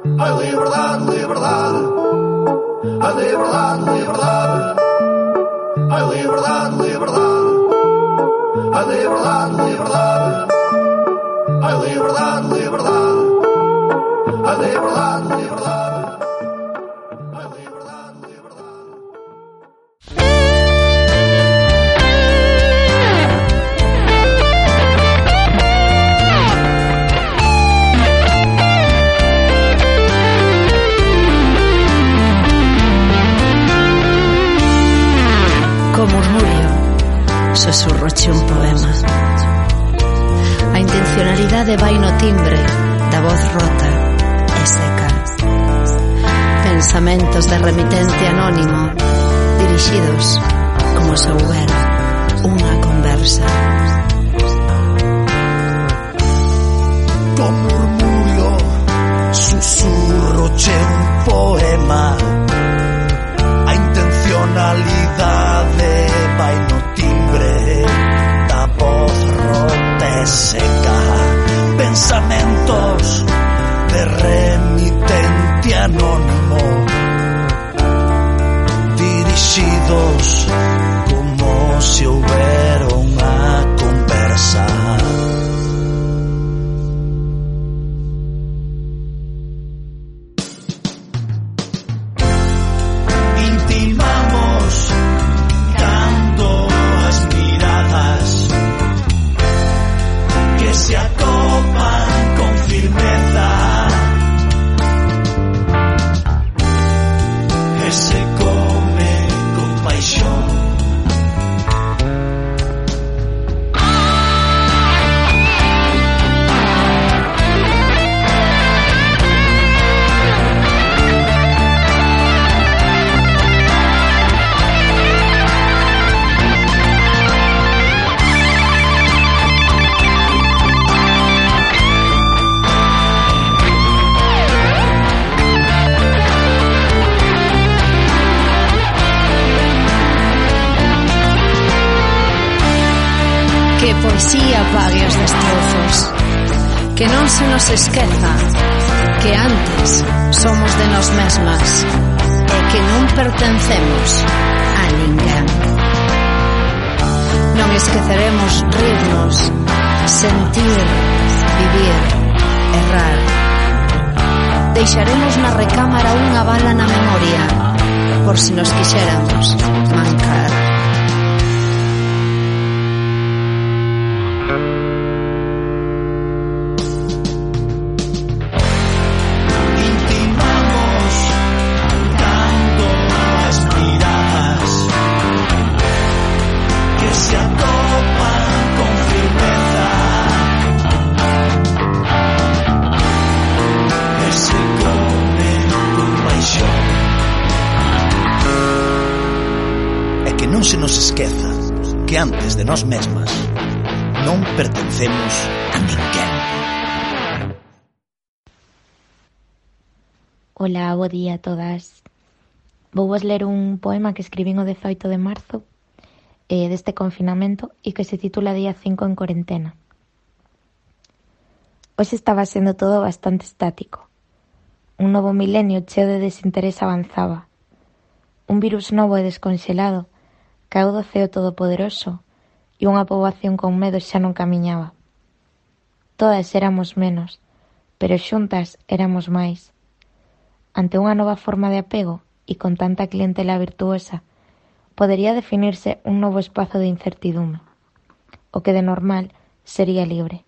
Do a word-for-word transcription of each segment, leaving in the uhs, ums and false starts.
A liberdade, liberdade. A liberdade, liberdade. A liberdade, liberdade. A liberdade, liberdade. A liberdade, liberdade. A liberdade, liberdade. A liberdade, liberdade. Co murmurio, susurroche un poema. A intencionalidade vai no timbre da voz rota e seca. Pensamentos de remitente anónimo, dirixidos como se houbera unha conversa. Co murmurio, susurroche un poema. A intencionalidade vai no timbre da voz rota e seca. Pensamentos de remitente anónimo, dirixidos como se houbera unha conversa. Intimamos dando as miradas que se atopan con firmeza e se come con paixón. Que poesía pague os destrozos. Que non se nos esqueza que antes somos de nós mesmas e que non pertencemos a ninguén. Non esqueceremos rirnos, sentir, vivir, errar. Deixaremos na recámara unha bala na memoria por si nos quixéramos mancar. Non se nos esqueza que antes de nós mesmas non pertencemos a ninguén. Ola, bo día a todas. Vou vos ler un poema que escribín o dezaoito de marzo eh, deste confinamento e que se titula Día cinco en corentena. Hoxe estaba sendo todo bastante estático. Un novo milenio cheo de desinterés avanzaba. Un virus novo e desconxelado caeu do ceo todopoderoso e unha poboación con medo xa non camiñaba. Todas éramos menos, pero xuntas éramos máis. Ante unha nova forma de apego e con tanta clientela virtuosa, podería definirse un novo espazo de incertidume. O que de normal sería libre.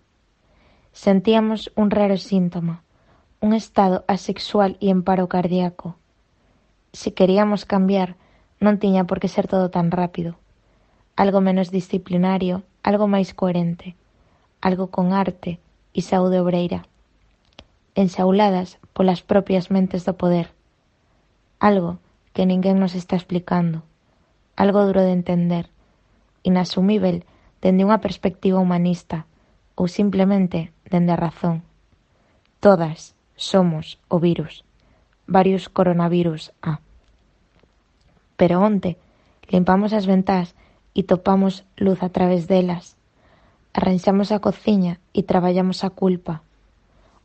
Sentíamos un raro síntoma, un estado asexual e en paro cardíaco. Se queríamos cambiar, non tiña por que ser todo tan rápido. Algo menos disciplinario, algo máis coherente, algo con arte e saúde obreira, enxauladas polas propias mentes do poder. Algo que ninguén nos está explicando, algo duro de entender, inasumível dende unha perspectiva humanista ou simplemente dende a razón. Todas somos o virus, varios coronavirus A. Pero onte limpamos as ventás e topamos luz a través delas. Arranxamos a cociña e traballamos a culpa.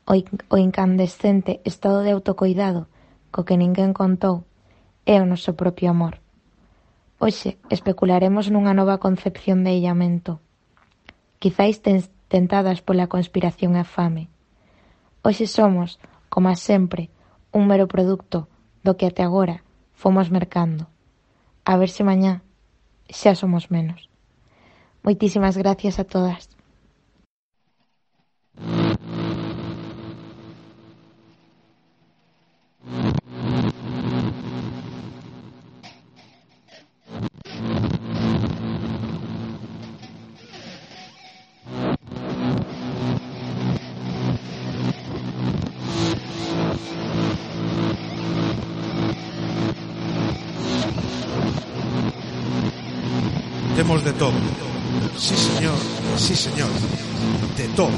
O, in, o incandescente estado de autocoidado co que ninguén contou é o noso propio amor. Hoxe especularemos nunha nova concepción de illamento, quizáis ten, tentadas pola conspiración e a fame. Hoxe somos, como sempre, un mero produto do que até agora fomos mercando. A ver se mañá xa somos menos. Moitísimas gracias a todas. Temos de todo. Sí, señor, sí, señor. De todo.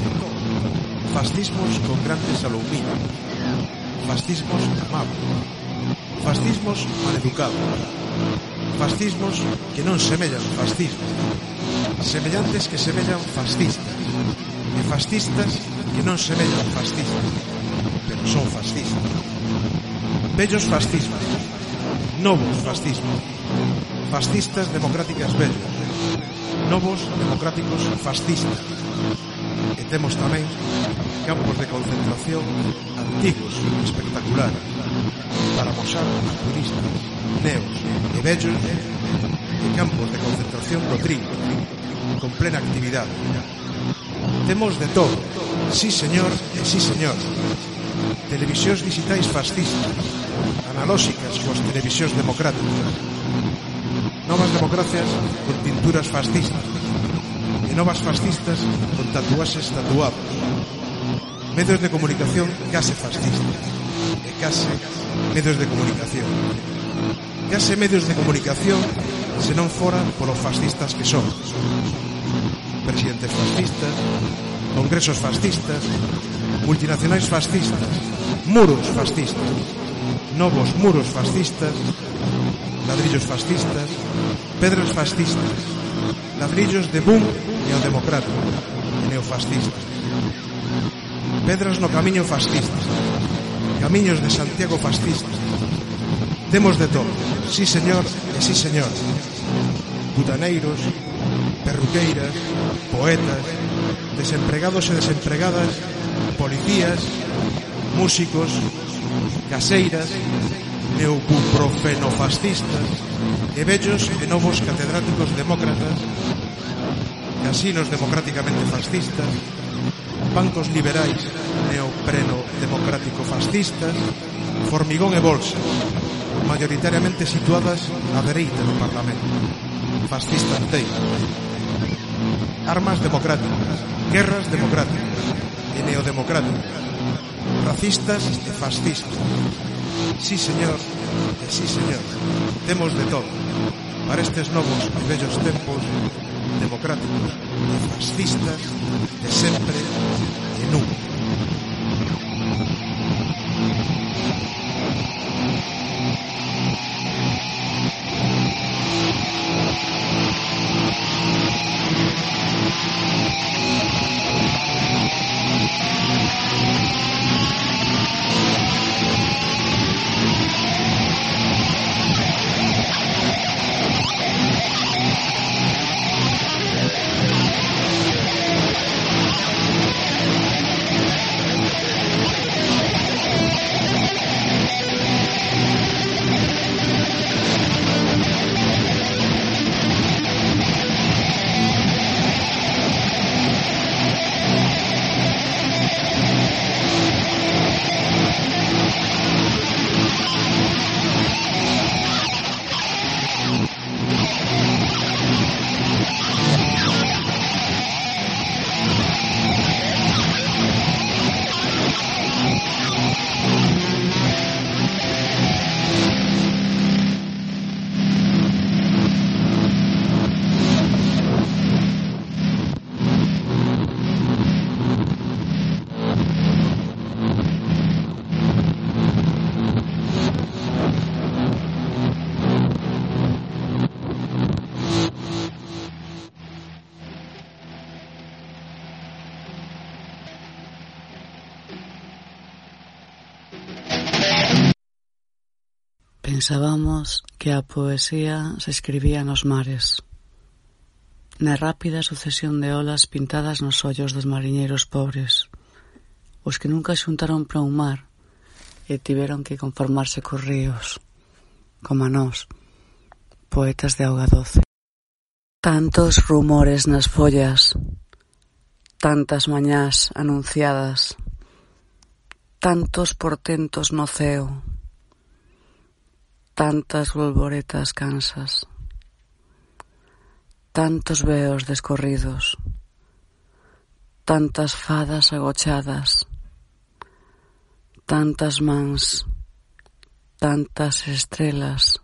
Fascismos con grandes aluminos. Fascismos amables. Fascismos maleducados. Fascismos que non semellan fascistas. Semellantes que semellan fascistas. E fascistas que non semellan fascistas. Pero son fascistas. Bellos fascismos. Novos fascismos. Fascistas democráticas bellos. Novos democráticos fascistas. E temos tamén campos de concentración antigos, espectaculares, para mostrar a turistas, neos e bellos, e campos de concentración do trigo, con plena actividade. Temos de todo, sí señor e sí señor. Televisións digitais fascistas, analóxicas coas televisións democráticas. Novas democracias con tinturas fascistas e novas fascistas con tatuaxes tatuados. Medios de comunicación case fascistas e case medios de comunicación. Case medios de comunicación se non fora polos fascistas que son. Presidentes fascistas, congresos fascistas, multinacionais fascistas, muros fascistas, novos muros fascistas, ladrillos fascistas, pedras fascistas, ladrillos de boom neodemocrático e neofascistas, pedras no camiño fascista, camiños de Santiago fascistas. Temos de todo, sí señor e sí señor. Butaneiros, perruqueiras, poetas, desempregados e desempregadas, policías, músicos, caseiras, neobuprofenofascistas e vellos e novos catedráticos demócratas, casinos democráticamente fascistas, bancos liberais neopreno democrático fascistas, formigón e bolsa, mayoritariamente situadas á dereita do Parlamento, fascista inteira. Armas democráticas, guerras democráticas e neodemocráticas, racistas e fascistas. Sí, señor, e sí, señor, temos de todo para estes novos e bellos tempos democráticos e fascistas de sempre e nunca. Pensábamos que a poesía se escribía nos mares, na rápida sucesión de olas pintadas nos ollos dos mariñeiros pobres, os que nunca xuntaron para un mar e tiveron que conformarse cos ríos, como a nós, poetas de auga doce. Tantos rumores nas follas, tantas mañás anunciadas, tantos portentos no ceo, tantas bolboretas cansas, tantos veos descorridos, tantas fadas agochadas, tantas mans, tantas estrelas,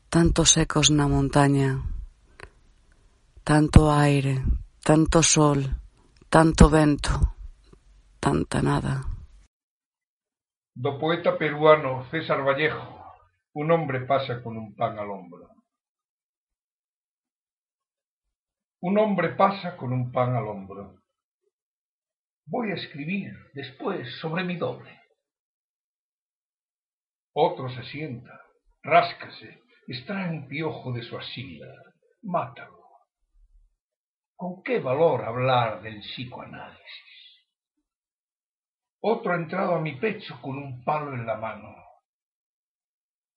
tantos ecos na montaña, tanto aire, tanto sol, tanto vento, tanta nada. Do poeta peruano César Vallejo, un hombre pasa con un pan al hombro. Un hombre pasa con un pan al hombro. Voy a escribir después sobre mi doble. Otro se sienta, ráscase, extrae un piojo de su axila, mátalo. ¿Con qué valor hablar del psicoanálisis? Otro ha entrado a mi pecho con un palo en la mano.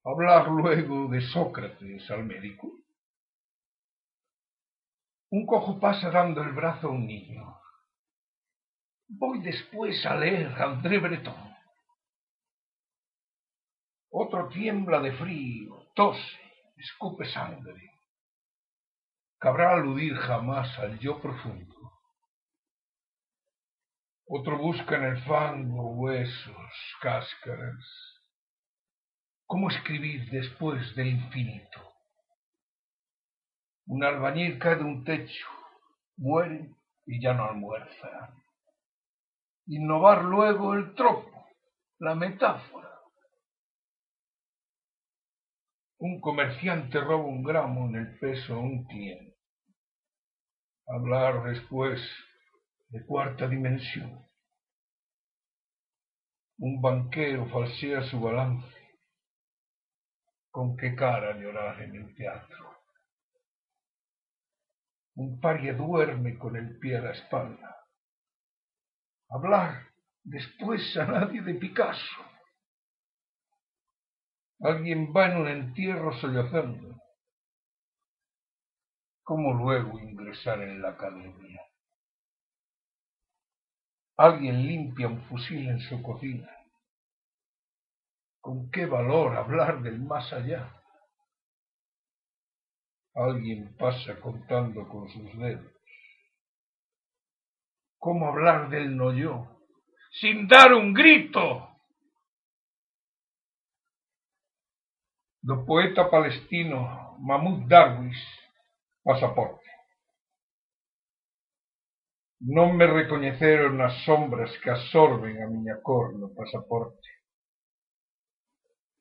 ¿Hablar luego de Sócrates al médico? Un cojo pasa dando el brazo a un niño. Voy después a leer a André Breton. Otro tiembla de frío, tose, escupe sangre. ¿Cabrá aludir jamás al yo profundo? Otro busca en el fango huesos, cáscaras. ¿Cómo escribir después del infinito? Un albañil cae de un techo, muere y ya no almuerza. Innovar luego el tropo, la metáfora. Un comerciante roba un gramo en el peso a un cliente. Hablar después de cuarta dimensión. Un banquero falsea su balance. ¿Con qué cara llorar en el teatro? Un paria duerme con el pie a la espalda. Hablar después a nadie de Picasso. Alguien va en un entierro sollozando. ¿Cómo luego ingresar en la academia? Alguien limpia un fusil en su cocina. ¿Con qué valor hablar del más allá? Alguien pasa contando con sus dedos. ¿Cómo hablar del no yo sin dar un grito? Do poeta palestino Mahmoud Darwish, Pasaporte. Non me recoñeceron as sombras que absorben a miña cor no pasaporte.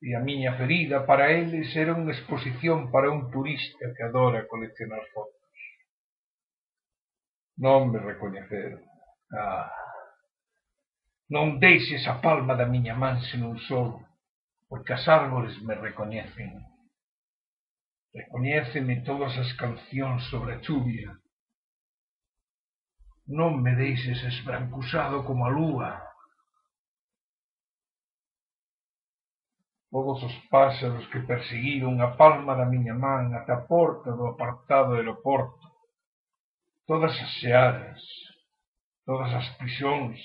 E a miña ferida para eles era unha exposición para un turista que adora coleccionar fotos. Non me recoñeceron. Ah, non deixes a palma da miña man sen un solo, porque as árbores me recoñecen. Recoñéceme todas as cancións sobre a chuvia. Non me deixes esbrancusado como a lúa. Todos os páxaros que perseguiron a palma da miña man ata a porta do apartado aeroporto. Todas as xearas, todas as prisóns,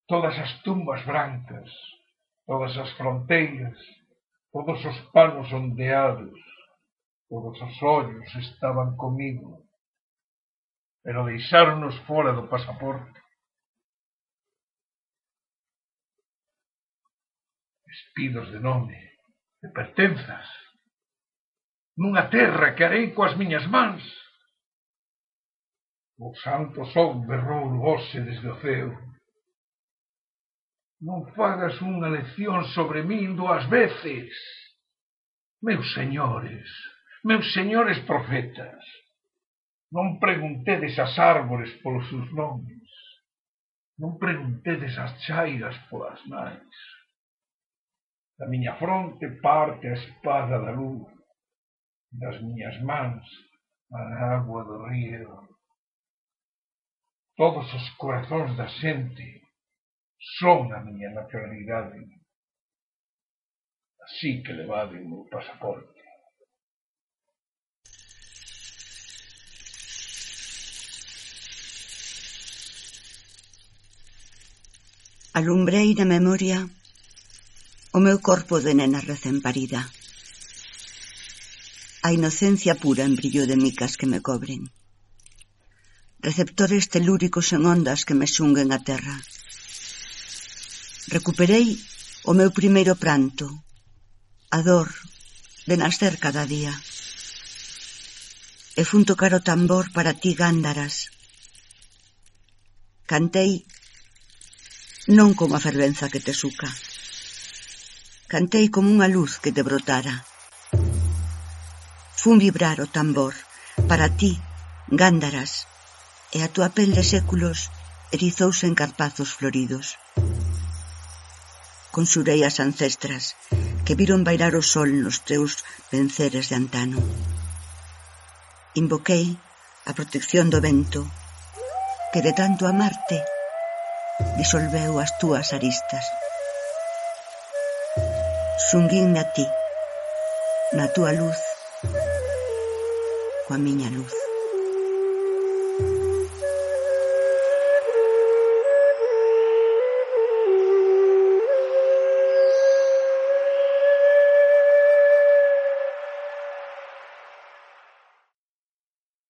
todas as tumbas brancas, todas as fronteiras, todos os panos ondeados, todos os ollos estaban comigo, pero deixáronos fora do pasaporte. Despidos de nome, de pertenzas, nunha terra que harei coas miñas mans. O santo son berrou o hoxe desde o ceo. Non fagas unha lección sobre min dúas veces. Meus señores, meus señores profetas, non preguntedes as árbores polos seus nomes, non preguntedes as chairas polas nais. Da miña fronte parte a espada da luz, das miñas mans a agua do río. Todos os corazóns da xente son a miña nacionalidade, así que levade o meu pasaporte. Alumbrei na memoria o meu corpo de nena recén parida, a inocencia pura en brillo de micas que me cobren, receptores telúricos en ondas que me xunguen a terra. Recuperei o meu primeiro pranto, a dor de nascer cada día. E fun tocar o tambor para ti, Gándaras. Cantei non como a fervenza que te suca. Cantei como unha luz que te brotara. Fun vibrar o tambor para ti, Gándaras, e a tua pel de séculos erizouse en carpazos floridos. Conxurei as ancestras que viron bailar o sol nos teus venceres de antano. Invoquei a protección do vento que de tanto amarte disolveu as túas aristas. Xunguinme a ti, na túa luz, coa miña luz.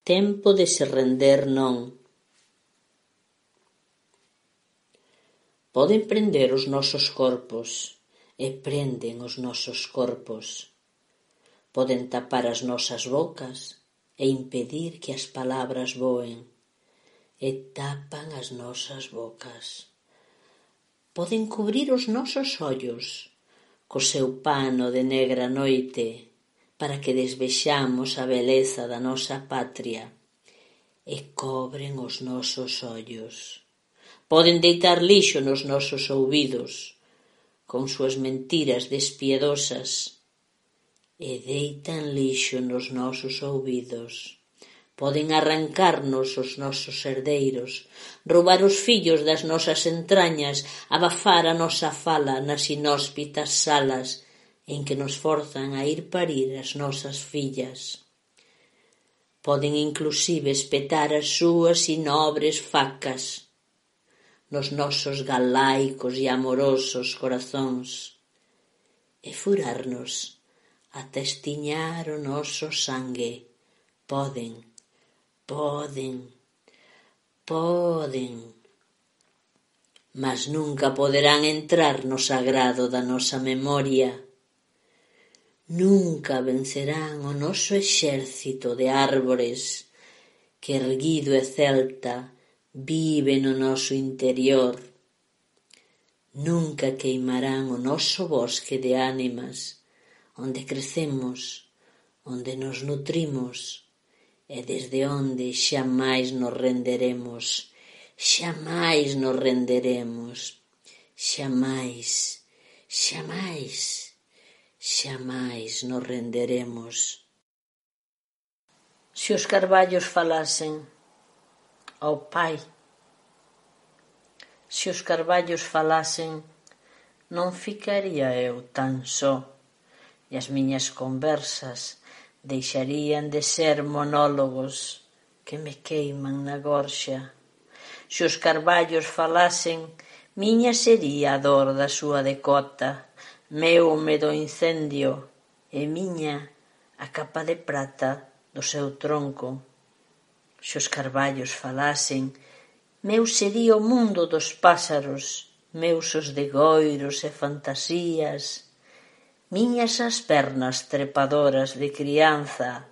Tempo de se render non. Poden prender os nosos corpos e prenden os nosos corpos. Poden tapar as nosas bocas e impedir que as palabras voen e tapan as nosas bocas. Poden cubrir os nosos ollos co seu pano de negra noite para que desvexamos a beleza da nosa patria e cobren os nosos ollos. Poden deitar lixo nos nosos ouvidos con súas mentiras despiedosas e deitan lixo nos nosos ouvidos. Poden arrancarnos os nosos herdeiros, roubar os fillos das nosas entrañas, abafar a nosa fala nas inhóspitas salas en que nos forzan a ir parir as nosas fillas. Poden inclusive espetar as súas inobres facas nos nosos galaicos e amorosos corazóns e furarnos ata estiñar o noso sangue. Poden, poden, poden, mas nunca poderán entrar no sagrado da nosa memoria. Nunca vencerán o noso exército de árbores que, erguido e celta, vive no noso interior. Nunca queimarán o noso bosque de ánimas, onde crecemos, onde nos nutrimos e desde onde xamais nos renderemos, xamais nos renderemos, xamais, xamais. Xamais nos renderemos. Se os carballos falasen ao Pai, se os carballos falasen, non ficaría eu tan só, e as miñas conversas deixarían de ser monólogos que me queiman na gorxa. Se os carballos falasen, miña sería a dor da súa decota, meu medo incendio e miña a capa de prata do seu tronco. Se os carballos falasen, meu sería o mundo dos pásaros, meus os degoiros e fantasías, miñas as pernas trepadoras de crianza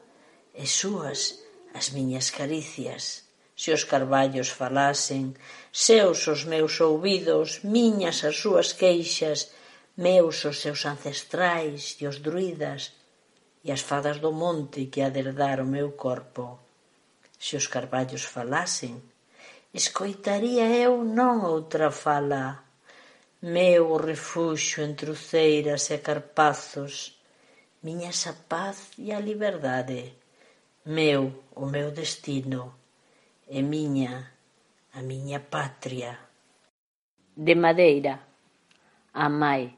e súas as miñas caricias. Se os carballos falasen, seus os meus ouvidos, miñas as súas queixas, meus os seus ancestrais e os druidas e as fadas do monte que ha de herdar o meu corpo. Se os carballos falasen, escoitaría eu non outra fala, meu refuxio entre uceiras e carpazos, miña esa paz e a liberdade, meu o meu destino, e miña a miña patria. De madeira, a mai.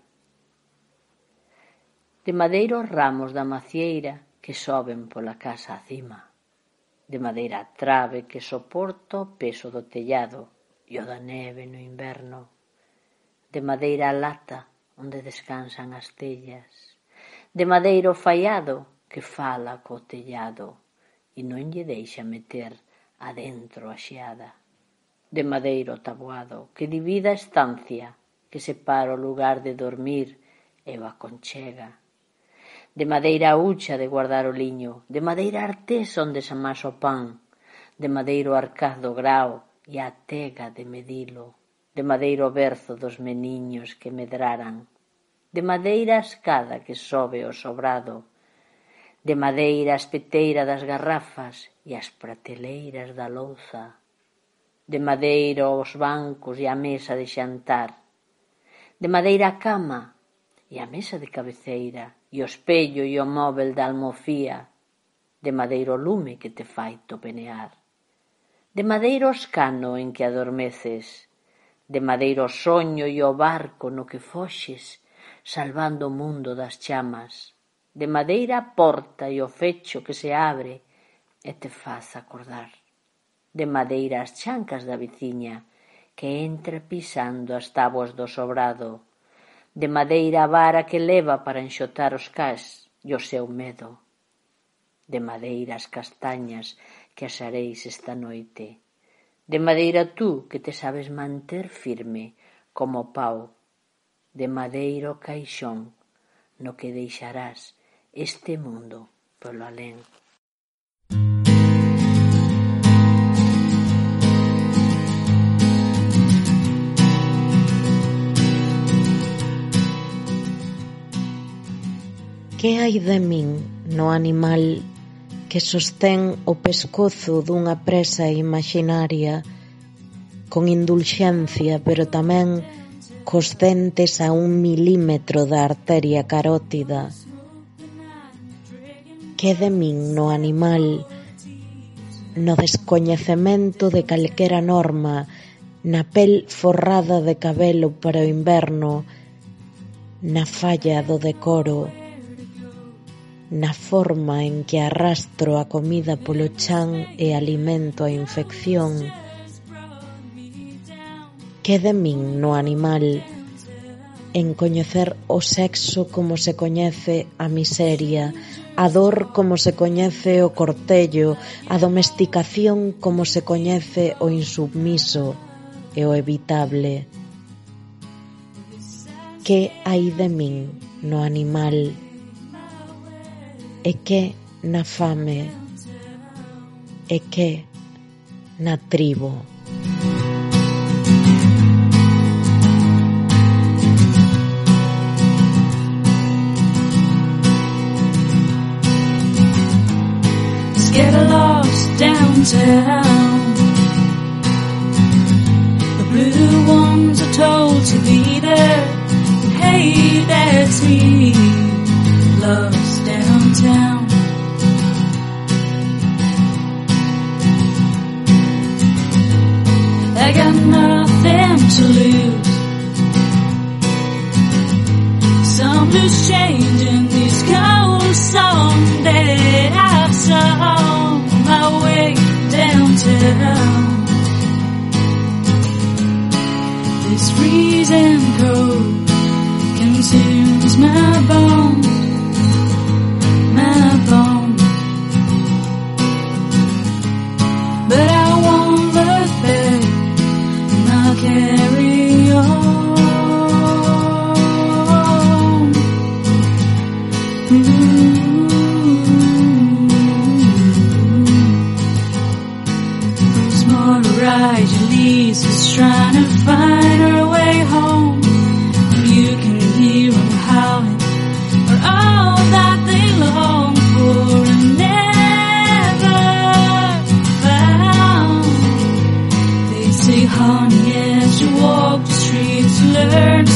De madeira os ramos da macieira que soben pola casa acima. De madeira a trave que soporta o peso do tellado e o da neve no inverno. De madeira a lata onde descansan as tellas. De madeira o faiado que fala co tellado e non lle deixa meter adentro a xeada. De madeira o taboado que divide a estancia, que separa o lugar de dormir e o aconchega. De madeira a hucha de guardar o liño, de madeira a artesa onde se amasa o pan, de madeira o arcaz do grao e a tega de medilo, de madeira o berzo dos meniños que medraran, de madeira a escada que sobe ao sobrado, de madeira a espeteira das garrafas e as prateleiras da louza, de madeira os bancos e a mesa de xantar, de madeira a cama e a mesa de cabeceira e o espello e o móvel da almofía, de madeira o lume que te fai topenear, de madeira o escano en que adormeces, de madeira o soño e o barco no que foxes, salvando o mundo das chamas, de madeira a porta e o fecho que se abre e te faz acordar, de madeira as chancas da veciña que entra pisando as táboas do sobrado, de madeira a vara que leva para enxotar os cás e o seu medo, de madeira as castañas que asareis esta noite, de madeira tú que te sabes manter firme como pau, de madeira o caixón no que deixarás este mundo polo alén. Que hai de min no animal que sostén o pescozo dunha presa imaginaria con indulxencia, pero tamén cos dentes a un milímetro da arteria carótida? Que de min no animal no descoñecemento de calquera norma, na pel forrada de cabelo para o inverno, na falla do decoro, na forma en que arrastro a comida polo chan e alimento a infección? Que de min no animal en coñecer o sexo como se coñece a miseria, a dor como se coñece o cortello, a domesticación como se coñece o insubmiso e o evitable? Que hai de min no animal e que na fame e que na tribo? Get lost downtown. The blue ones are told to be there. Hey, that's me, lost downtown. I got nothing to lose. Some loose change in these cold songs that I've sung my way downtown. This freezing cold consumes my bones, my bones. But I won't look back, and I'll carry on. Lisa's trying to find her way home. You can hear them howling for all that they long for and never found. They say, honey, as you walk the streets, learn to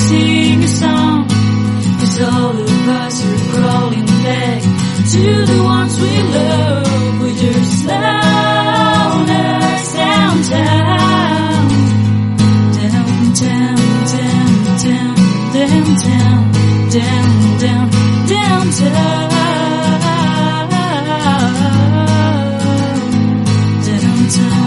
downtown, down, down, downtown, downtown.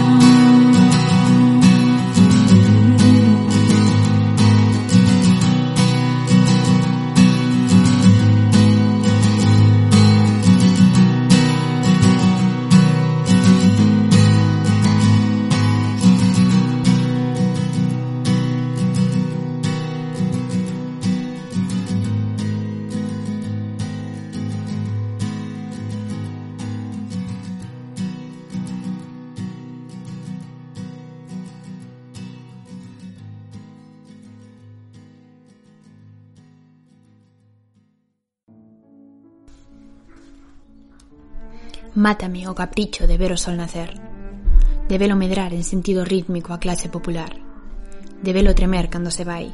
Mátame o capricho de ver o sol nacer, de velo medrar en sentido rítmico a clase popular, de velo tremer cando se vai,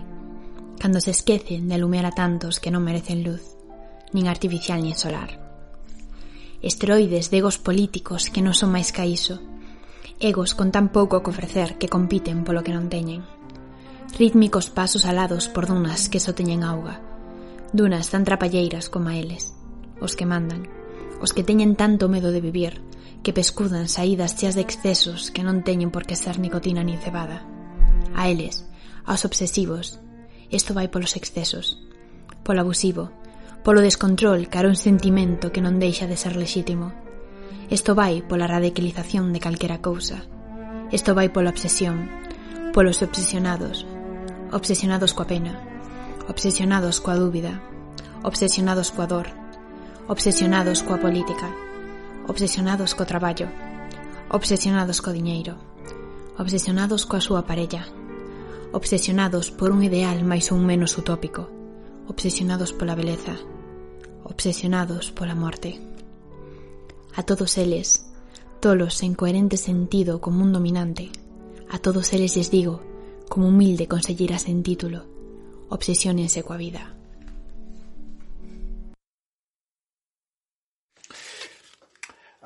cando se esquecen de alumear a tantos que non merecen luz, nin artificial nin solar. Esteroides de egos políticos que non son máis ca iso, egos con tan pouco que ofrecer que compiten polo que non teñen, rítmicos pasos alados por dunas que só teñen auga, dunas tan trapalleiras como a eles, os que mandan, os que teñen tanto medo de vivir que pescudan saídas cheas de excesos que non teñen por que ser nicotina nin cebada. A eles, aos obsesivos, isto vai polos excesos, polo abusivo, polo descontrol cara un sentimento que non deixa de ser lexítimo. Isto vai pola radicalización de calquera cousa. Isto vai pola obsesión, polos obsesionados, obsesionados coa pena, obsesionados coa dúbida, obsesionados coa dor, obsesionados coa política, obsesionados co traballo, obsesionados co diñeiro, obsesionados coa súa parella, obsesionados por un ideal máis ou menos utópico, obsesionados pola beleza, obsesionados pola morte. A todos eles, tolos en coherente sentido como un dominante, a todos eles les digo, como humilde consellera sen título, obsesiónense coa vida.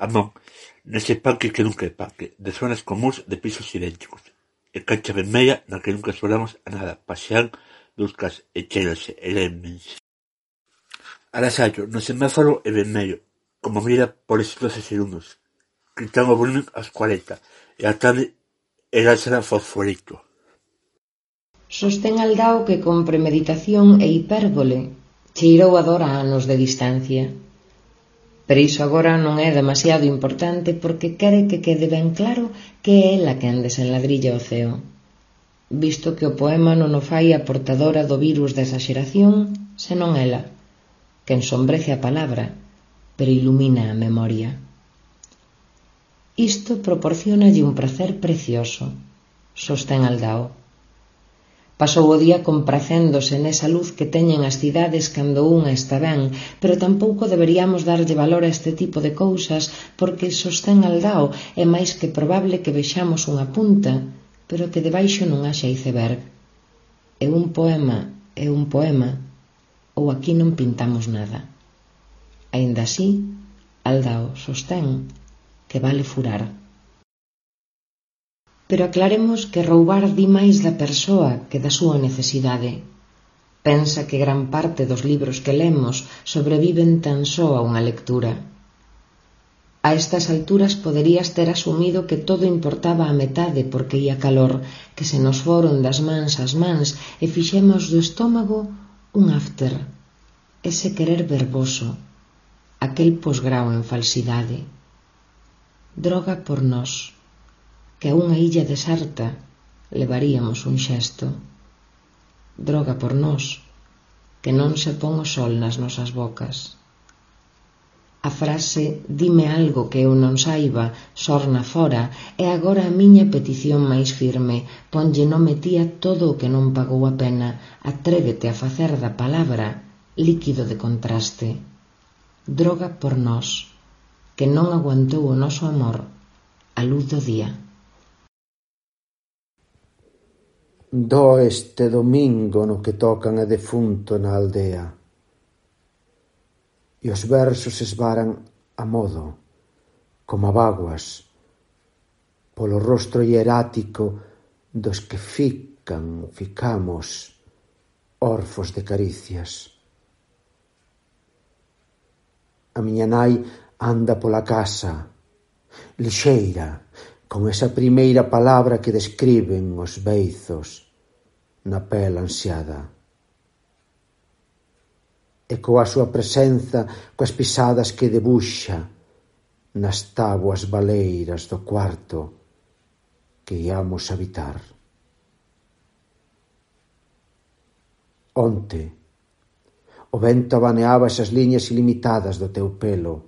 Amón, nese parque que nunca é parque, de zonas comúns de pisos idénticos, e cancha vermella na que nunca solamos a nada, pasean duscas e cheirase e lémense. Arasallo, no semáforo é vermello, como mira por eses doce segundos, quitan o volumen aos cuarenta, e a tarde era será fosforito. Sostén Aldao que con premeditación e hipérbole cheirou a dor a anos de distancia. Pero iso agora non é demasiado importante porque quere que quede ben claro que é ela quen desenladrilla o ceo. Visto que o poema non o fai a portadora do virus da exaxeración, senón ela, que ensombrece a palabra, pero ilumina a memoria. Isto proporcionalle un prazer precioso, sostén Aldao. Pasou o día compracéndose nesa luz que teñen as cidades cando unha está ben, pero tampouco deberíamos darlle valor a este tipo de cousas porque, sostén Aldao, é máis que probable que vexamos unha punta, pero que debaixo non haxa iceberg. É un poema, é un poema, ou aquí non pintamos nada. Aínda así, Aldao sostén que vale furar. Pero aclaremos que roubar di máis da persoa que da súa necesidade. Pensa que gran parte dos libros que lemos sobreviven tan só a unha lectura. A estas alturas poderías ter asumido que todo importaba a metade porque ia calor, que se nos foron das mans as mans e fixemos do estómago un after, ese querer verboso, aquel posgrao en falsidade. Droga por nós, que a unha illa deserta levaríamos un xesto. Droga por nós, que non se pon o sol nas nosas bocas. A frase «dime algo que eu non saiba» sorna fora e agora a miña petición máis firme, ponlle nome ti a todo o que non pagou a pena, atrévete a facer da palabra líquido de contraste. Droga por nós, que non aguantou o noso amor a luz do día. Do este domingo no que tocan a defunto na aldea, e os versos esvaran a modo, como a vaguas, polo rostro hierático dos que fican, ficamos, orfos de caricias. A miña nai anda pola casa, lixeira, con esa primeira palabra que describen os beizos na pel ansiada. E coa súa presenza, coas pisadas que debuxa nas táboas baleiras do cuarto que íamos habitar. Onte, o vento abaneaba esas liñas ilimitadas do teu pelo,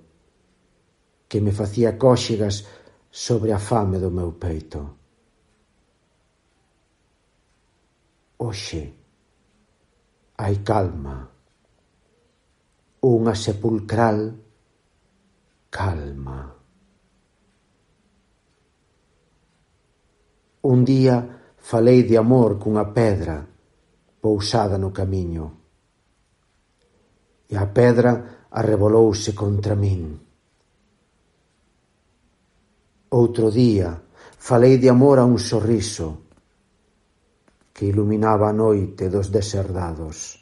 que me facía cóxegas sobre a fame do meu peito. Hoxe hai calma, unha sepulcral calma. Un día falei de amor cunha pedra pousada no camiño, e a pedra arrebolouse contra min. Outro día falei de amor a un sorriso que iluminaba a noite dos deserdados.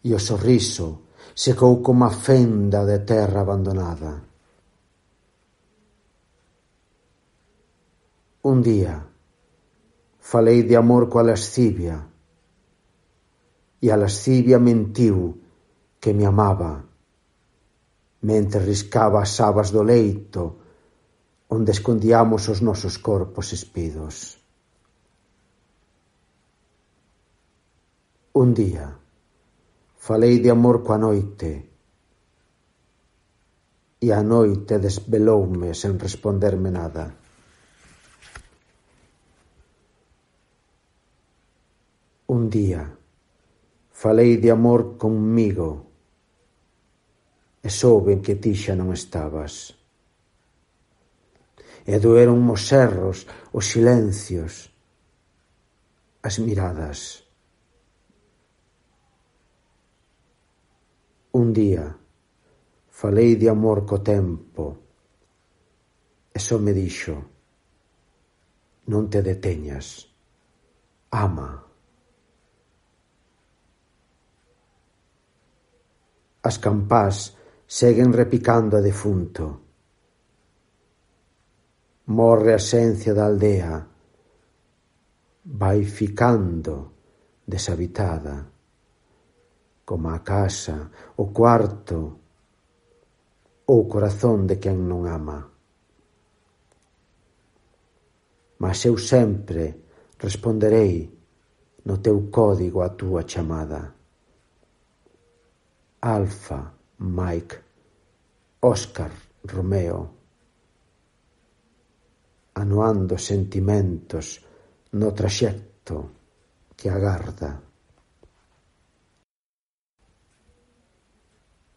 E o sorriso secou como a fenda de terra abandonada. Un día falei de amor coa lascivia, e a lascivia mentiu que me amaba, mentre riscaba as sabas do leito onde escondiamos os nosos corpos espidos. Un día falei de amor coa noite, e a noite desveloume sen responderme nada. Un día falei de amor conmigo, e souben que ti xa non estabas. E doeron os erros, os silencios, as miradas. Un día falei de amor co tempo, e só me dixo: non te deteñas, ama. As campás seguen repicando a defunto. Morre a esencia da aldea, vai ficando deshabitada, como a casa, o cuarto ou o corazón de quen non ama. Mas eu sempre responderei no teu código a túa chamada. Alfa, Mike, Óscar, Romeo, anuando sentimentos no traxecto que agarda.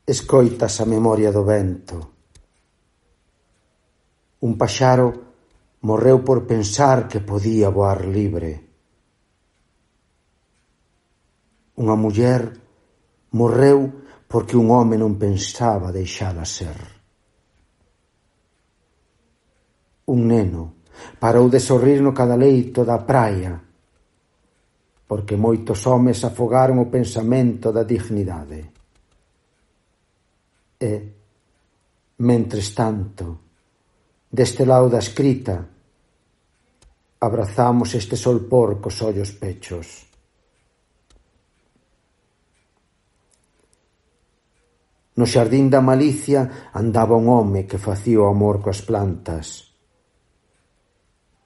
Escoitas a memoria do vento. Un paxaro morreu por pensar que podía voar libre. Unha muller morreu porque un home non pensaba deixala ser. Un neno parou de sorrir no cadaleito da praia, porque moitos homes afogaron o pensamento da dignidade. E, mentres tanto, deste lado da escrita, abrazamos este solpor cos ollos pechos. No xardín da malicia andaba un home que facía o amor coas plantas.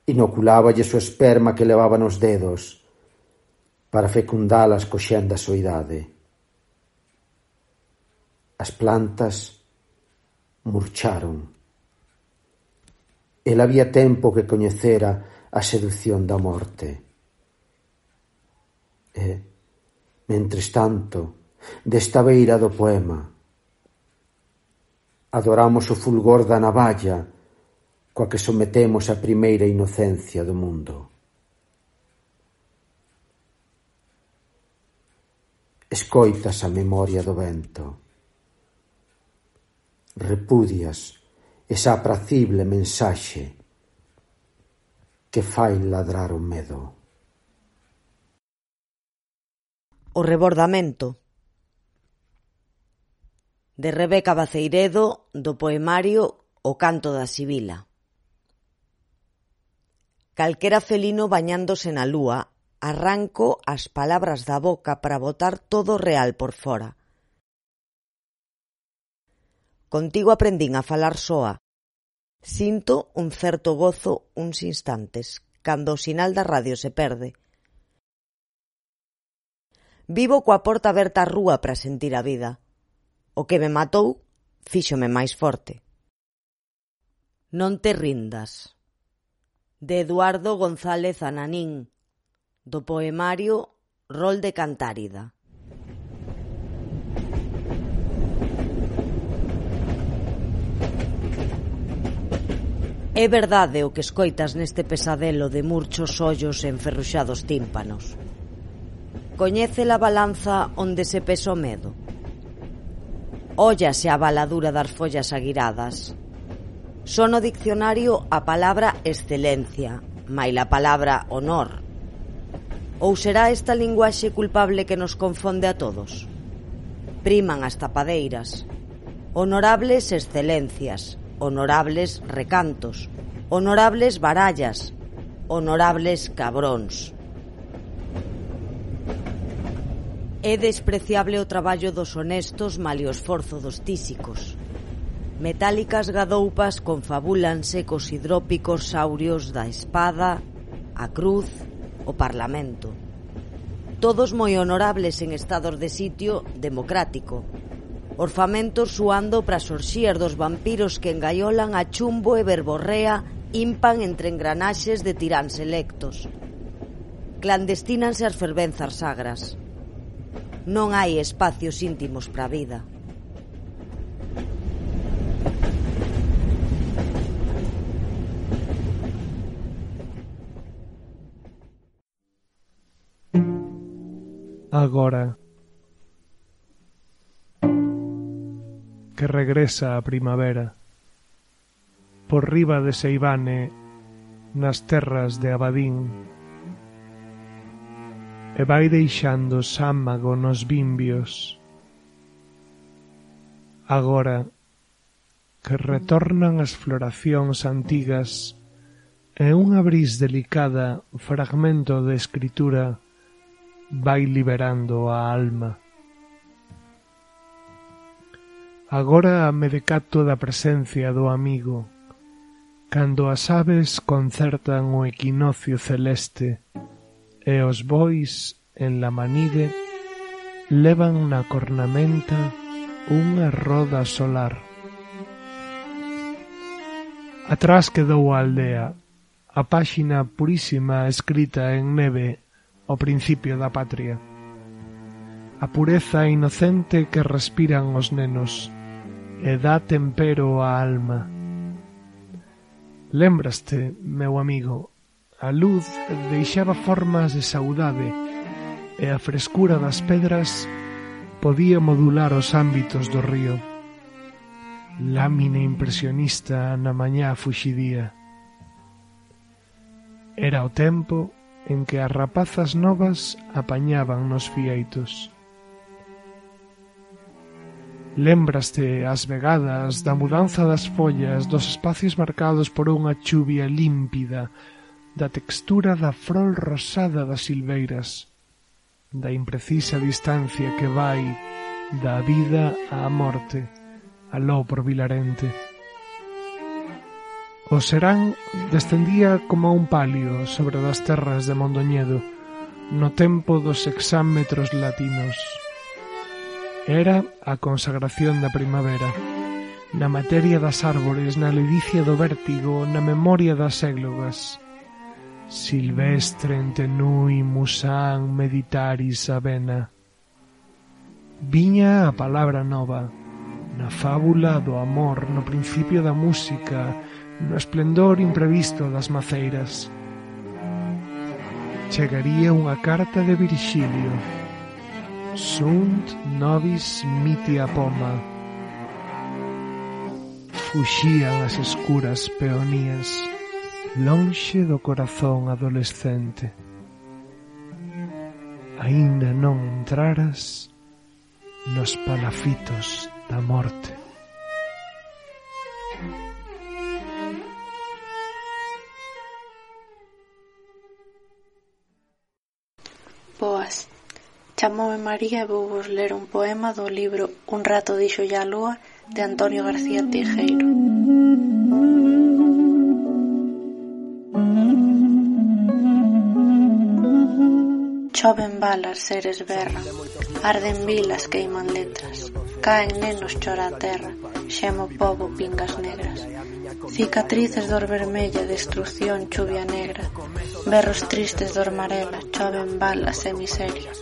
Inoculáballes o esperma que levaba nos dedos para fecundalas coxendo a soidade. As plantas murcharon. El había tempo que coñecera a seducción da morte. E, mentres tanto, desta beira do poema, adoramos o fulgor da navalla coa que sometemos a primeira inocencia do mundo. Escoitas a memoria do vento. Repudias esa apracible mensaxe que fai ladrar o medo. O rebordamento, de Rebeca Baceiredo, do poemario O canto da sibila. Calquera felino bañándose na lúa, arranco as palabras da boca para botar todo o real por fora. Contigo aprendín a falar soa. Sinto un certo gozo uns instantes, cando o sinal da radio se perde. Vivo coa porta aberta á rúa para sentir a vida. O que me matou fíxome máis forte. Non te rindas, de Eduardo González Ananín, do poemario Rol de Cantárida. É verdade o que escoitas neste pesadelo de murchos ollos e enferruxados tímpanos. Coñece la balanza onde se pesa o medo? Óllase a baladura das follas aguiradas. Son no diccionario a palabra excelencia, maila a palabra honor. Ou será esta linguaxe culpable que nos confonde a todos? Priman as tapadeiras. Honorables excelencias, honorables recantos, honorables barallas, honorables cabróns. É despreciable o traballo dos honestos malia o esforzo dos tísicos. Metálicas gadoupas confabúlanse cos hidrópicos saurios da espada, a cruz, o parlamento. Todos moi honorables en estados de sitio democrático. Orfamentos suando pras orxías dos vampiros que engaiolan a chumbo e verborrea impan entre engranaxes de tiráns electos. Clandestínanse as fervenzas sagras. Non hai espacios íntimos para a vida. Agora que regresa a primavera por riba de Seivane nas terras de Abadín e vai deixando sámago nos bimbios. Agora que retornan as floracións antigas e unha bris delicada fragmento de escritura vai liberando a alma. Agora me decato da presencia do amigo, cando as aves concertan o equinoccio celeste e os bois en la manide levan na cornamenta unha roda solar. Atrás quedou a aldea, a páxina purísima escrita en neve ao principio da patria. A pureza inocente que respiran os nenos e dá tempero á alma. Lembraste, meu amigo, a luz deixaba formas de saudade e a frescura das pedras podía modular os ámbitos do río. Lámina impresionista na mañá fuxidía. Era o tempo en que as rapazas novas apañaban nos fieitos. Lembraste as vegadas da mudanza das follas dos espacios marcados por unha chuvia límpida, da textura da frol rosada das silveiras, da imprecisa distancia que vai da vida á morte, aló por Vilarente. O serán descendía como un palio sobre das terras de Mondoñedo no tempo dos exámetros latinos. Era a consagración da primavera, na materia das árbores, na ledicia do vértigo, na memoria das églogas. Silvestre en tenui musan meditaris avena. Viña a palabra nova, na fábula do amor, no principio da música, no esplendor imprevisto das maceiras. Chegaría unha carta de Virxilio. Sunt nobis mitia poma. Fuxían as escuras peonías lonxe do corazón adolescente. A aínda non entraras nos palafitos da morte. Boas. Chamoume María e vou vos ler un poema do libro Un rato dixolle a lúa de Antonio García Teijeiro. Choven balas, seres berran, arden vilas, queiman letras, caen nenos, chora a terra, xemo pobo, pingas negras, cicatrices dor vermella, destrucción, chuvia negra, berros tristes dor marela, choven balas e miseria,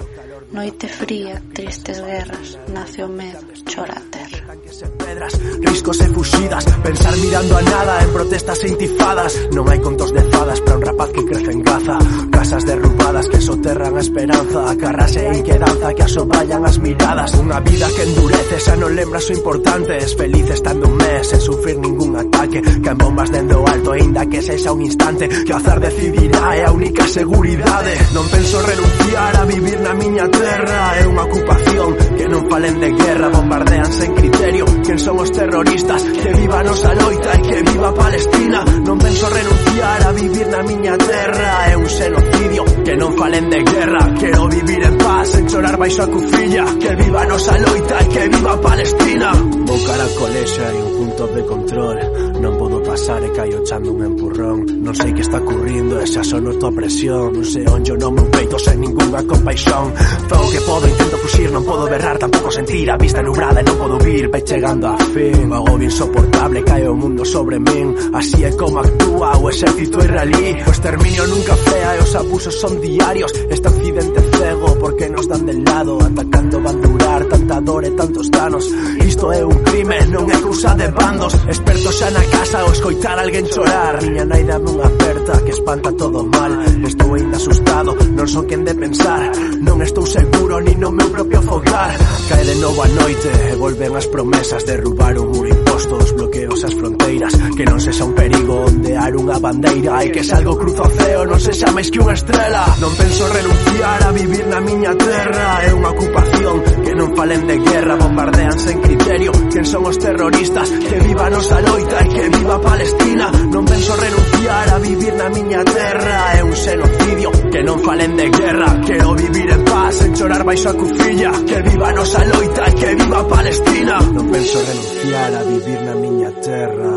noite fría, tristes guerras, nace o medo, chora a terra. Pedras, riscos e fuxidas, pensar mirando a nada en protestas e intifadas. Non hai contos de fadas para un rapaz que crece en Gaza, casas derrubadas que soterran a esperanza, carrase e inquedanza que asoballan as miradas. Unha vida que endurece, xa non lembras o importante, es feliz estando un mes sen sufrir ningún ataque, que en bombas dendo alto, ainda que sexa un instante, que o azar decidirá, é a única seguridade. Non penso renunciar a vivir na miña terra, é unha ocupación, que non falen de guerra, bombardeanse en criterio. Quen son os terroristas? Que viva a nosa loita e que viva Palestina. Non penso renunciar a vivir na miña terra, é un xenocidio. Que non falen de guerra, quero vivir en paz, sen chorar baixo a cufilla. Que viva a nosa loita e que viva Palestina. Vou cara ao colexo e un punto de control, non podo pasar e caio echando un empurrón. Non sei que está ocurrindo e xa só noto a presión, non sei onde no meu peito sen ningunha compaixón. Fago que podo, intento fuxir, non podo berrar, tampouco sentir a vista nubrada e non podo vir. Vai chegando a fin, o agobio insoportable, cae o mundo sobre min. Así é como actúa o exército israelí. O exterminio nunca fea e os abusos son diarios. Este occidente cego, porque nos dan del lado, atacando van durar tanta dor e tantos danos. Isto é un crime, non é cousa de bandos. Expertos xa na casa o escoitar alguén chorar. Miña nai dame unha aperta que espanta todo mal. Estou ainda asustado, non son quen de pensar. Non estou seguro ni no meu propio fogar. Cae de novo a noite e volven as promesas, derrubar un muro imposto, os bloqueos as fronteiras. Que non sexa un perigo ondear unha bandeira, e que se algo cruza o ceo non sexa máis que unha estrela. Non penso renunciar a vivir na miña terra, é unha ocupación. Que non falen de guerra, bombardeanse en criterio. Quen son os terroristas? Que viva a nosa loita e que viva Palestina. Non penso renunciar a vivir na miña terra, é un xenocidio. Que non falen de guerra, quero vivir en paz, sen chorar baixo a cufilla. Que viva a nosa loita e que viva Palestina. Non penso renunciar a vivir na miña terra.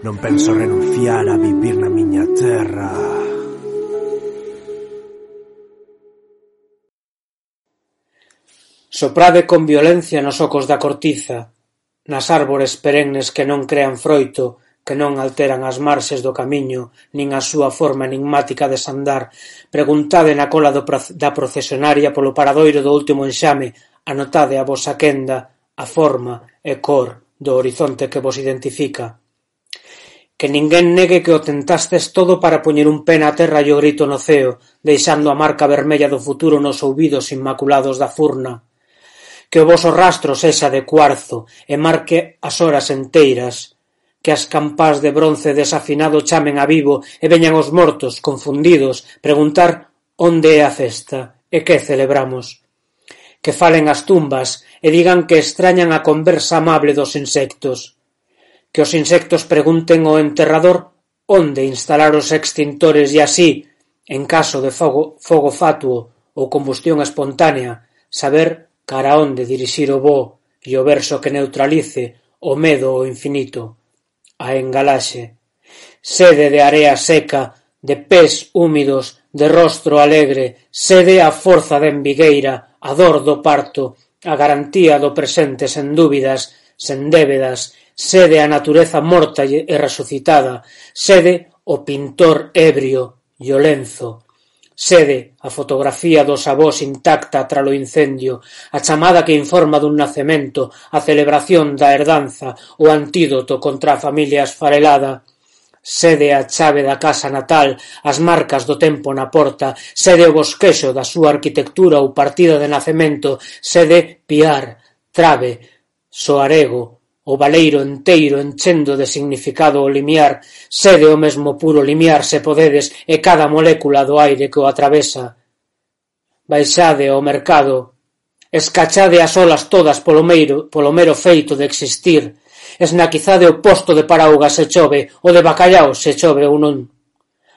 Non penso renunciar a vivir na miña terra. Soprade con violencia nos ocos da cortiza, nas árbores perennes que non crean froito, que non alteran as marxes do camiño, nin a súa forma enigmática de sandar. Preguntade na cola do, da procesionaria polo paradoiro do último enxame, anotade a vosa quenda, a forma e cor do horizonte que vos identifica. Que ninguén negue que o tentastes todo para poñer un pé na terra e o grito no ceo, deixando a marca vermella do futuro nos ouvidos inmaculados da furna. Que o voso rastro sexa de cuarzo e marque as horas enteiras, que as campás de bronce desafinado chamen a vivo e veñan os mortos, confundidos, preguntar onde é a festa e que celebramos. Que falen as tumbas e digan que extrañan a conversa amable dos insectos. Que os insectos pregunten ao enterrador onde instalar os extintores e así, en caso de fogo, fogo fatuo ou combustión espontánea, saber cara onde dirixir o voo e o verso que neutralice o medo ao infinito, a engalaxe. Sede de area seca, de pés húmidos, de rostro alegre, sede a forza de envigueira, a dor do parto, a garantía do presente sen dúbidas, sen débedas, sede a natureza morta e resucitada, sede o pintor ebrio e o lenzo, sede a fotografía dos avós intacta tralo incendio, a chamada que informa dun nacemento, a celebración da herdanza, o antídoto contra a familia esfarelada, sede a chave da casa natal, as marcas do tempo na porta, sede o bosquexo da súa arquitectura ou partida de nacemento, sede piar, trave, soarego, o baleiro enteiro enchendo de significado o limiar, sede o mesmo puro limiar se podedes e cada molécula do aire que o atravesa, baixade ao mercado, escachade as olas todas polo meiro, polo mero feito de existir, esnaquizade o posto de paraugas se chove, o de bacallau se chove ou non.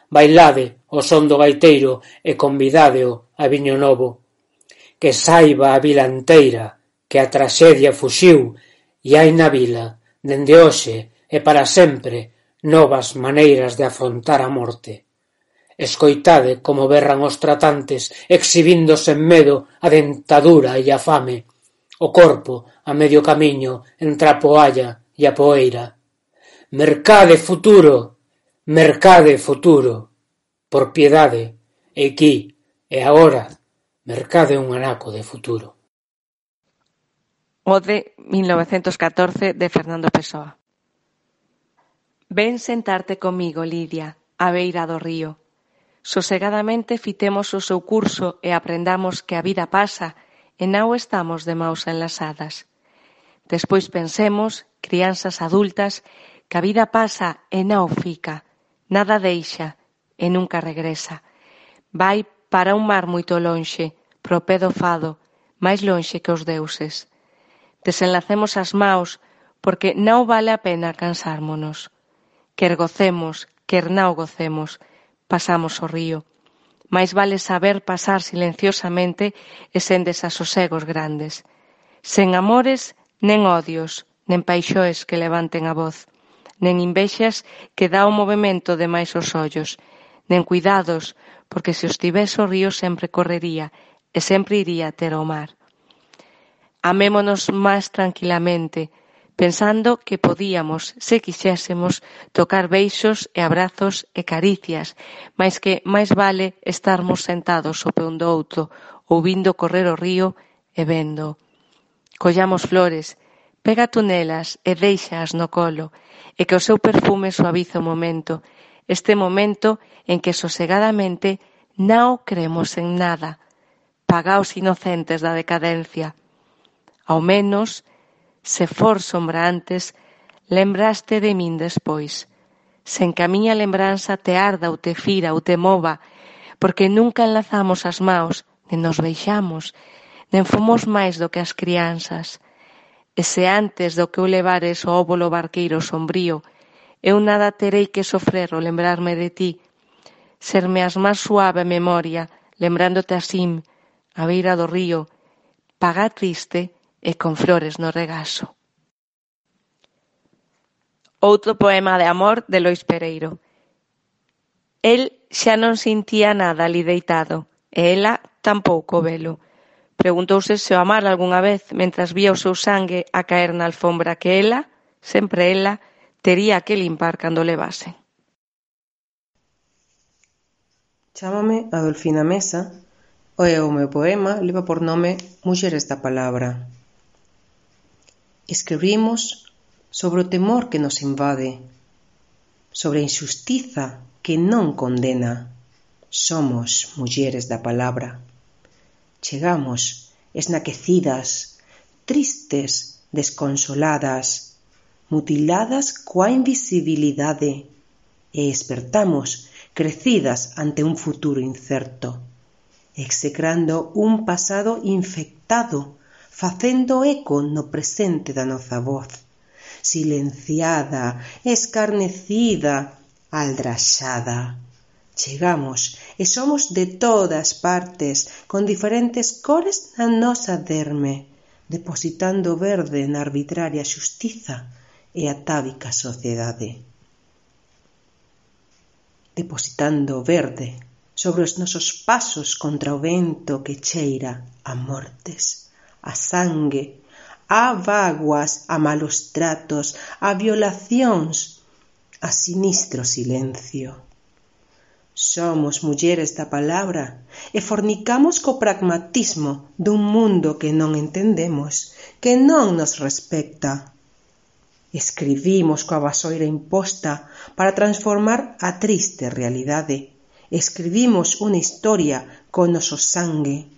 Bailade o son do gaiteiro e convidádeo a viño novo. Que saiba a vila enteira que a traxedia fuxiu e hai na vila, dende hoxe e para sempre, novas maneiras de afrontar a morte. Escoitade como berran os tratantes, exhibindo sen medo a dentadura e a fame, o corpo a medio camiño entre a poalla e a poeira. Mercade futuro, mercade futuro, por piedade, e aquí e agora, mercade un anaco de futuro. Ode mil novecentos catorce de Fernando Pessoa. Ven sentarte comigo, Lidia, á beira do río. Sosegadamente fitemos o seu curso e aprendamos que a vida pasa e non estamos de maus enlazadas. Despois pensemos, crianzas adultas, que a vida pasa e non fica, nada deixa e nunca regresa. Vai para un mar moito lonxe, pro pé do fado, máis lonxe que os deuses. Desenlacemos as maus, porque non vale a pena cansármonos. Quer gocemos, quer non gocemos, pasamos o río. Mais vale saber pasar silenciosamente e sen desasosegos grandes. Sen amores, nen odios, nen paixoes que levanten a voz, nen invexas que dá o movimento de máis os ollos, nen cuidados, porque se os tivese o río sempre correría e sempre iría ter o mar. Amémonos máis tranquilamente, pensando que podíamos, se quixésemos, tocar beixos e abrazos e caricias, mais que máis vale estarmos sentados o pé un do outro, ouvindo correr o río e vendo. Collamos flores, pega tú nelas e deixaas no colo, e que o seu perfume suaviza o momento, este momento en que sosegadamente non cremos en nada, pagaos inocentes da decadencia. Ao menos, se for sombra antes, lembraste de min despois, sen que a miña lembranza te arda ou te fira ou te mova, porque nunca enlazamos as maus, nen nos beixamos, nen fomos máis do que as crianzas. E se antes do que eu levares o óbolo barqueiro sombrío, eu nada terei que sofrer o lembrarme de ti, serme as máis suave memoria, lembrándote así, a beira do río, paga triste e con flores no regazo. Outro poema de amor de Lois Pereiro. El xa non sintía nada ali deitado, e ela tampouco velo. Preguntouse se o amara algunha vez mentras vía o seu sangue a caer na alfombra que ela, sempre ela, tería que limpar cando levasen. Chámame Adolfina Mesa e o meu poema leva por nome Mulleres da Palabra. Escribimos sobre o temor que nos invade, sobre a injustiza que non condena. Somos mulleres da palabra. Chegamos esnaquecidas, tristes, desconsoladas, mutiladas coa invisibilidade e espertamos crecidas ante un futuro incerto, execrando un pasado infectado, facendo eco no presente da nosa voz, silenciada, escarnecida, aldraxada. Chegamos e somos de todas partes, con diferentes cores na nosa derme, depositando verde na arbitraria xustiza e atávica sociedade. Depositando verde sobre os nosos pasos contra o vento que cheira a mortes, a sangue, a vaguas, a malos tratos, a violacións, a sinistro silencio. Somos mulleres da palabra e fornicamos co pragmatismo dun mundo que non entendemos, que non nos respecta. Escribimos coa vasoira imposta para transformar a triste realidade. Escribimos unha historia con noso sangue,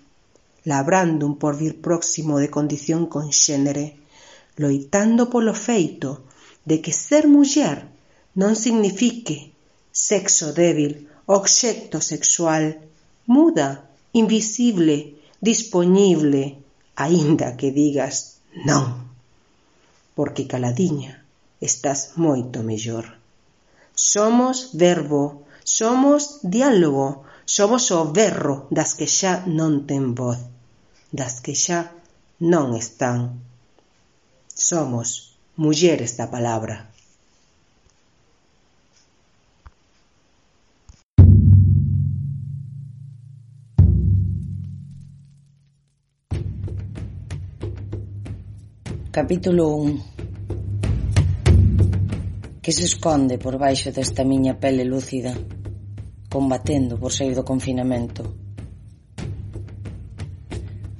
labrando un porvir próximo de condición conxénere, loitando polo feito de que ser muller non signifique sexo débil, obxecto sexual, muda, invisible, dispoñible, aínda que digas non, porque caladiña estás moito mellor. Somos verbo, somos diálogo, somos o berro das que xa non ten voz, das que xa non están. Somos mulleres da palabra. Capítulo un. Que se esconde por baixo desta miña pele lúcida, combatendo por sair do confinamento?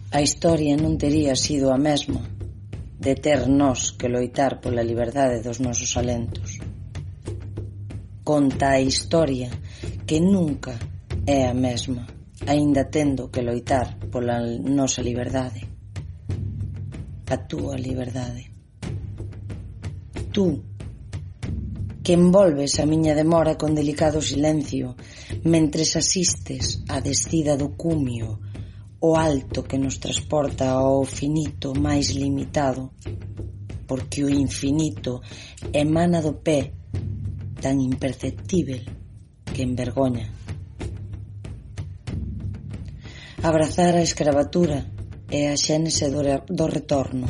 A historia non tería sido a mesma de ter nós que loitar pola liberdade dos nosos alentos. Conta a historia que nunca é a mesma, aínda tendo que loitar pola nosa liberdade. A túa liberdade. Tú, que envolves a miña demora con delicado silencio, mentres asistes á descida do cumio, o alto que nos transporta ao finito máis limitado, porque o infinito emana do pé tan imperceptível que envergoña. Abrazar a escravatura é a xénese do, do retorno.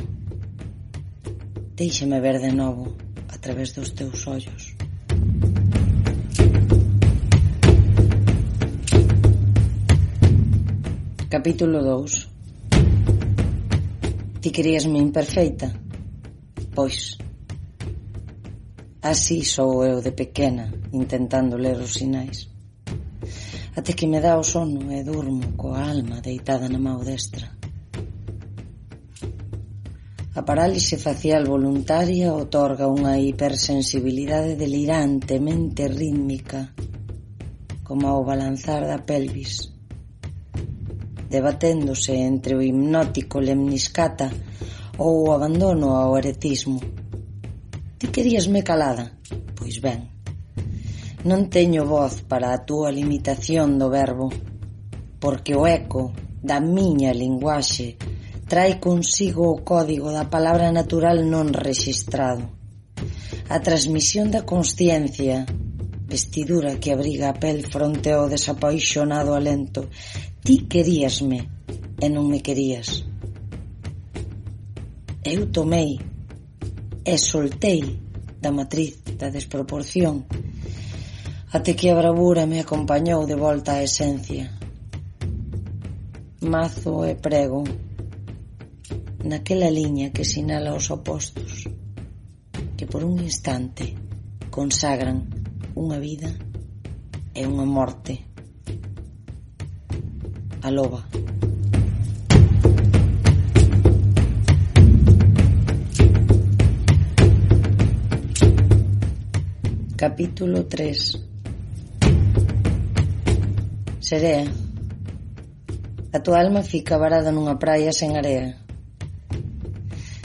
Déixame ver de novo a través dos teus ollos. Capítulo dous. Ti queríasme imperfeita? Pois así sou eu de pequena, intentando ler os sinais, até que me dá o sono e durmo coa alma deitada na mão destra. A parálise facial voluntaria otorga unha hipersensibilidade delirantemente rítmica, como ao balanzar da pelvis, debaténdose entre o hipnótico lemniscata ou o abandono ao eretismo. Ti queríasme calada? Pois ben, non teño voz para a túa limitación do verbo, porque o eco da miña linguaxe trae consigo o código da palabra natural non rexistrado, a transmisión da consciencia, vestidura que abriga a pel fronte ao desapaixonado alento. Ti queríasme e non me querías. Eu tomei e soltei da matriz da desproporción, até que a bravura me acompañou de volta á esencia. Mazo e prego naquela liña que sinala os opostos, que por un instante consagran unha vida e unha morte. A loba. Capítulo tres. Serea. A tua alma fica varada nunha praia sen area,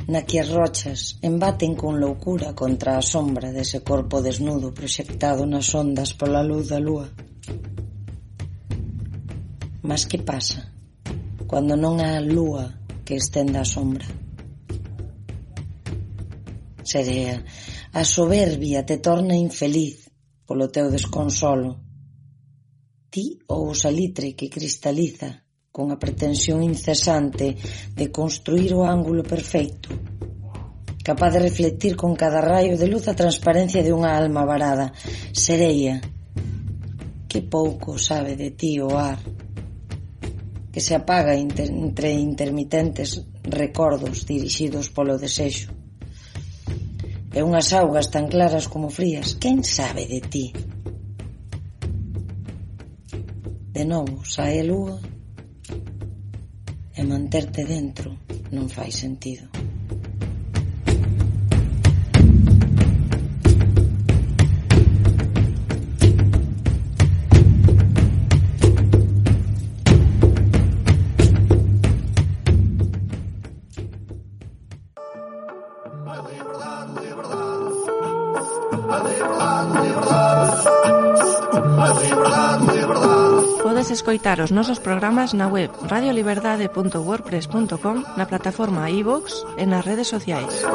na que as rochas embaten con loucura contra a sombra dese corpo desnudo proxectado nas ondas pola luz da lúa. Mas que pasa cando non há lúa que estenda a sombra? Serea, a soberbia te torna infeliz polo teu desconsolo. Ti ou o salitre que cristaliza con a pretensión incesante de construir o ángulo perfeito, capaz de reflectir con cada raio de luz a transparencia de unha alma varada. Sereia, que pouco sabe de ti o ar, que se apaga inter, entre intermitentes recordos dirixidos polo desexo, e unhas augas tan claras como frías. Quen sabe de ti? De novo sae a lúa e manterte dentro non fai sentido. Liberdade, liberdade, liberdade, liberdade. Podes escoitar os nosos programas na web radio liberdade punto wordpress punto com, na plataforma iVoox e nas redes sociais.